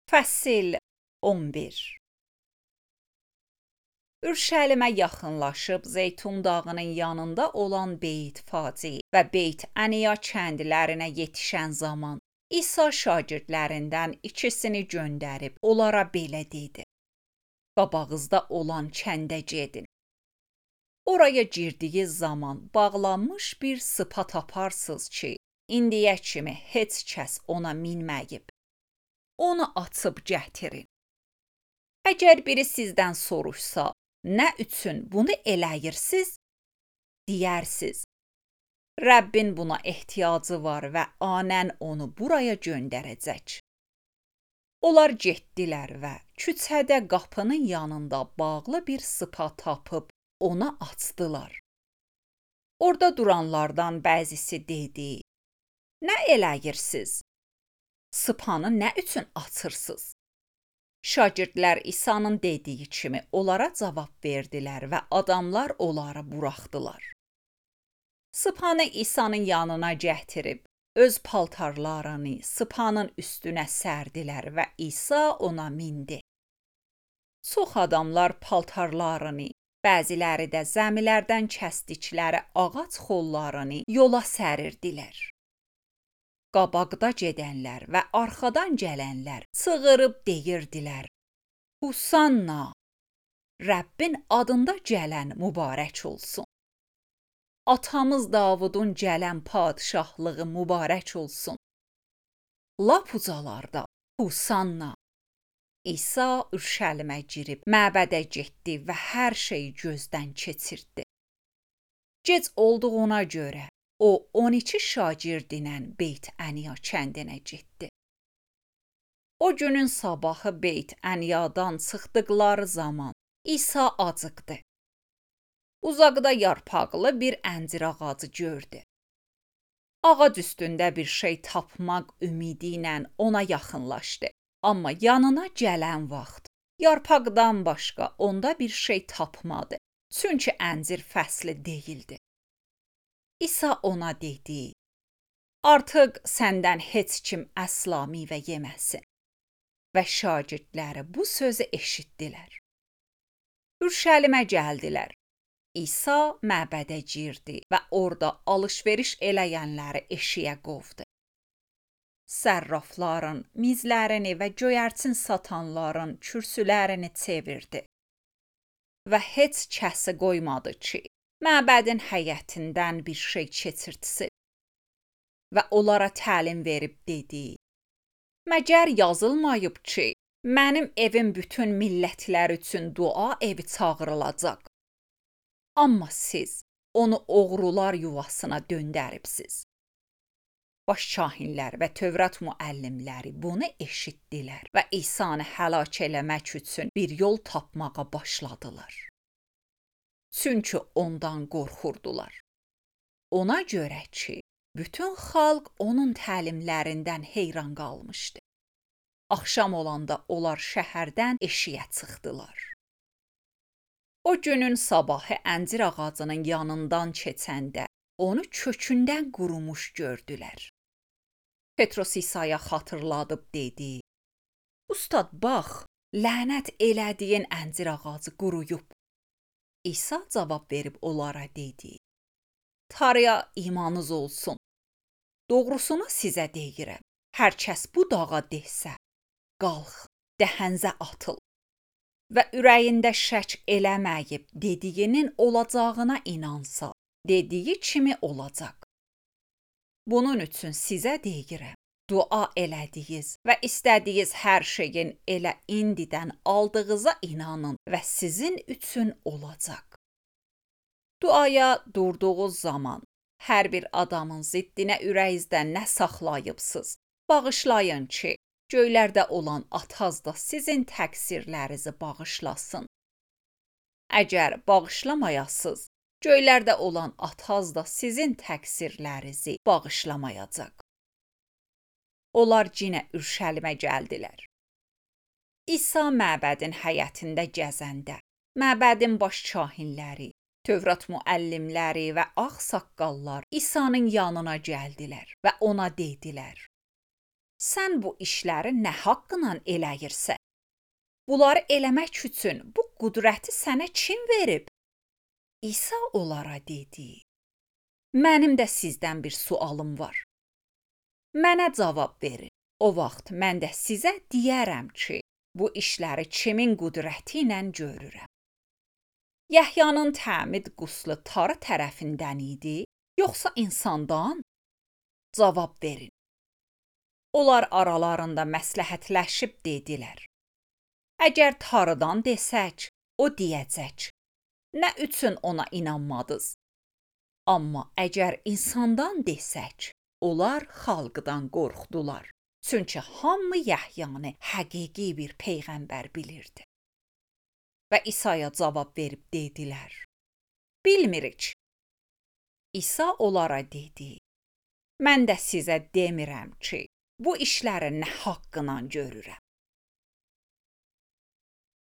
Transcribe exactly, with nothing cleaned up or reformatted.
Fəsil on bir. Ürşəlimə yaxınlaşıb Zeytun dağının yanında olan Beyt Faci və Beyt Əniya kəndlərinə yetişən zaman İsa şagirdlərindən ikisini göndərib onlara belə dedi: Qabağınızda olan kəndə gedin. Oraya girdiyi zaman bağlanmış bir sıpa taparsınız ki, indiyə kimi heç kəs ona minməyib. Onu açıb gətirin. Əgər biri sizdən soruşsa, nə üçün bunu eləyirsiniz? Deyərsiz, Rəbbin buna ehtiyacı var və anən onu buraya göndərəcək. Onlar getdilər və küçədə qapının yanında bağlı bir sıpa tapıb ona açdılar. Orada duranlardan bəzisi dedi: Nə eləyirsiniz? Sıpanı nə üçün açırsınız? Şagirdlər İsa'nın dediyi kimi onlara cavab verdilər və adamlar onları buraxdılar. Sıpanı İsa'nın yanına gətirib, öz paltarlarını sıpanın üstünə sərdilər və İsa ona mindi. Çox adamlar paltarlarını, bəziləri də zəmilərdən kəsdikləri ağac xollarını yola sərirdilər. Qabaqda gedənlər və arxadan gələnlər çığırıb deyirdilər: Husanna! Rəbbin adında gələn mübarək olsun. Atamız Davudun gələn padişahlığı mübarək olsun. Lap ucalarda Husanna! İsa Ürşəlimə girib məbədə getdi və hər şeyi gözdən keçirtdi. Gec olduğuna görə o on iki şagirdinə Beyt Əniya kəndinə getdi. O günün sabahı Beyt Əniyadan çıxdıqları zaman İsa acıqdı. Uzaqda yarpaqlı bir əncir ağacı gördü. Ağac üstündə bir şey tapmaq ümidi ilə ona yaxınlaşdı. Amma yanına gələn vaxt yarpaqdan başqa onda bir şey tapmadı. Çünki əncir fəsli deyildi. İsa ona dedi: Artıq səndən heç kim əsla meyvə yeməsin. Və şagirdləri bu sözü eşitdilər. Ürşəlimə gəldilər. İsa məbədə girdi və orada alış-veriş eləyənləri eşiyə qovdu. Sərrafların mizlərini və göyərçin satanların kürsülərini çevirdi. Və heç kəsi qoymadı ki, məbədin həyətindən bir şey keçirtsin. Və onlara təlim verib dedi: Məgər yazılmayıb ki, mənim evim bütün millətlər üçün dua evi çağırılacaq. Amma siz onu oğrular yuvasına döndəribsiz. Başkahinlər və Tövrat müəllimləri bunu eşitdilər və İsa'nı həlak eləmək üçün bir yol tapmağa başladılar. Çünki ondan qorxurdular. Ona görə ki, bütün xalq onun təlimlərindən heyran qalmışdı. Axşam olanda onlar şəhərdən eşiyə çıxdılar. O günün sabahı əncir ağacının yanından keçəndə onu kökündən qurumuş gördülər. Petros İsa'ya xatırladıb dedi: Ustad, bax, lənət elədiyin əncir ağacı quruyub. İsa cavab verib onlara dedi: Tanrıya imanınız olsun. Doğrusunu sizə deyirəm. Hər kəs bu dağa desə, qalx, dəhənzə atıl və ürəyində şək eləməyib dediyinin olacağına inansa, dediyi kimi olacaq. Bunun üçün sizə deyirəm, dua elədiyiniz və istədiyiniz hər şeyin elə indidən aldığınıza inanın və sizin üçün olacaq. Duaya durduğunuz zaman hər bir adamın ziddinə ürəyinizdə nə saxlayıbsınız, bağışlayın ki, göylərdə olan Ataz da sizin təqsirlərinizi bağışlasın. Əgər bağışlamayasınız, göylərdə olan Ataz da sizin təqsirlərinizi bağışlamayacaq. Onlar yenə Ürşəlimə gəldilər. İsa məbədin həyətində gəzəndə, məbədin baş kahinləri, Tövrat müəllimləri və ağsaqqallar İsa'nın yanına gəldilər və ona dedilər: sən bu işləri nə haqqla eləyirsən? Bunları eləmək üçün bu qüdrəti sənə kim verib? İsa onlara dedi: Mənim də sizdən bir sualım var. Mənə cavab verin. O vaxt mən də sizə deyərəm ki, bu işləri kimin qüdrəti ilə görürəm. Yəhyanın təmid quslu tarı tərəfindən idi, yoxsa insandan? Cavab verin. Onlar aralarında məsləhətləşib dedilər: Əgər tarıdan desək, o deyəcək: Nə üçün ona inanmadınız? Amma əgər insandan desək, onlar xalqdan qorxdular. Çünki hamı Yəhyanı həqiqi bir peyğəmbər bilirdi. Və İsa'ya cavab verib dedilər: Bilmirik. İsa onlara dedi: Mən də sizə demirəm ki, bu işləri nə haqqla görürəm.